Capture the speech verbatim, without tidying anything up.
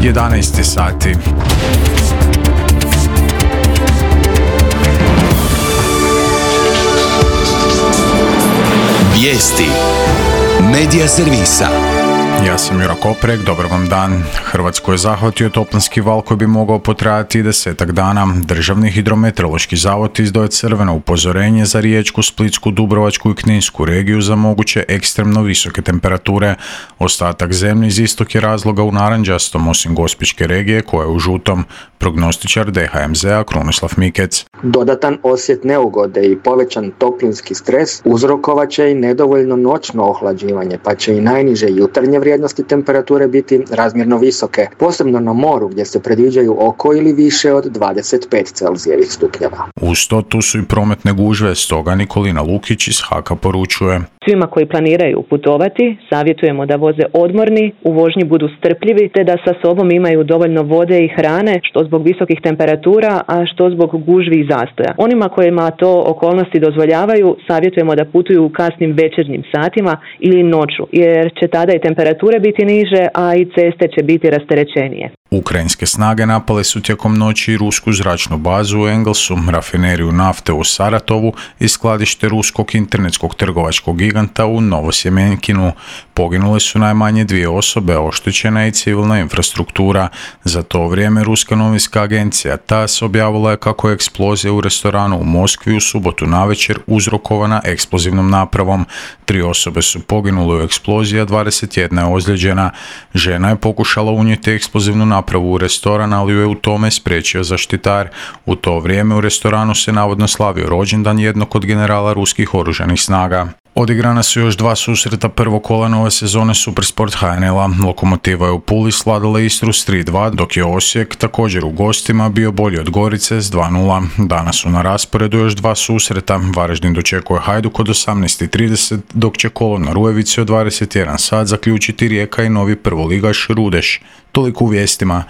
jedanaest sati. Vijesti Medija servisa. Ja sam Juro Koprek, dobar vam dan. Hrvatsku je zahvatio toplinski val koji bi mogao potrajati desetak dana. Državni hidrometeorološki zavod izdao je crveno upozorenje za Riječku, Splitsku, Dubrovačku i Kninsku regiju za moguće ekstremno visoke temperature. Ostatak zemlje iz istog je razloga u narančastom, osim Gospićke regije koja je u žutom. Prognostičar D H M Z-a Krunoslav Mikec. Dodatan osjet neugode i povećan toplinski stres uzrokovat će i nedovoljno noćno ohlađivanje, pa će i najniže jutarnje vrijednosti temperature biti razmjerno visoke, posebno na moru gdje se predviđaju oko ili više od dvadeset pet Celzijevih stupnjeva. Uz to tu su i prometne gužve, stoga Nikolina Lukić iz Haka poručuje. Svima koji planiraju putovati, savjetujemo da voze odmorni, u vožnji budu strpljivi te da sa sobom imaju dovoljno vode i hrane, što zbog visokih temperatura, a što zbog gužvi i zastoja. Onima kojima to okolnosti dozvoljavaju, savjetujemo da putuju u kasnim večernjim satima ili noću, jer će tada i temperature biti niže, a i ceste će biti rasterećenije. Ukrajinske snage napale su tijekom noći rusku zračnu bazu u Engelsu, rafineriju nafte u Saratovu i skladište ruskog internetskog trgovačkog giganta u Novosjemenkinu. Poginule su najmanje dvije osobe, oštećena i civilna infrastruktura. Za to vrijeme ruska novinska agencija T A S S objavila je kako je eksplozija u restoranu u Moskvi u subotu navečer uzrokovana eksplozivnom napravom. Tri osobe su poginule u eksploziji, a dvadeset jedna je ozlijeđena. Žena je pokušala unijeti eksplozivnu napravu u restoran, ali ju je u tome spriječio zaštitar. U to vrijeme u restoranu se navodno slavio rođendan jednog od generala ruskih oružanih snaga. Odigrana su još dva susreta prvog kola nove sezone Supersport H N L-a. Lokomotiva je u Puli svladala Istru s tri dva, dok je Osijek također u gostima bio bolji od Gorice s dva nula. Danas su na rasporedu još dva susreta. Varaždin dočekuje Hajduk od osamnaest i trideset, dok će kolo na Rujevici od dvadeset jedan sat zaključiti Rijeka i novi prvoligaš Rudeš. Toliko u vijestima.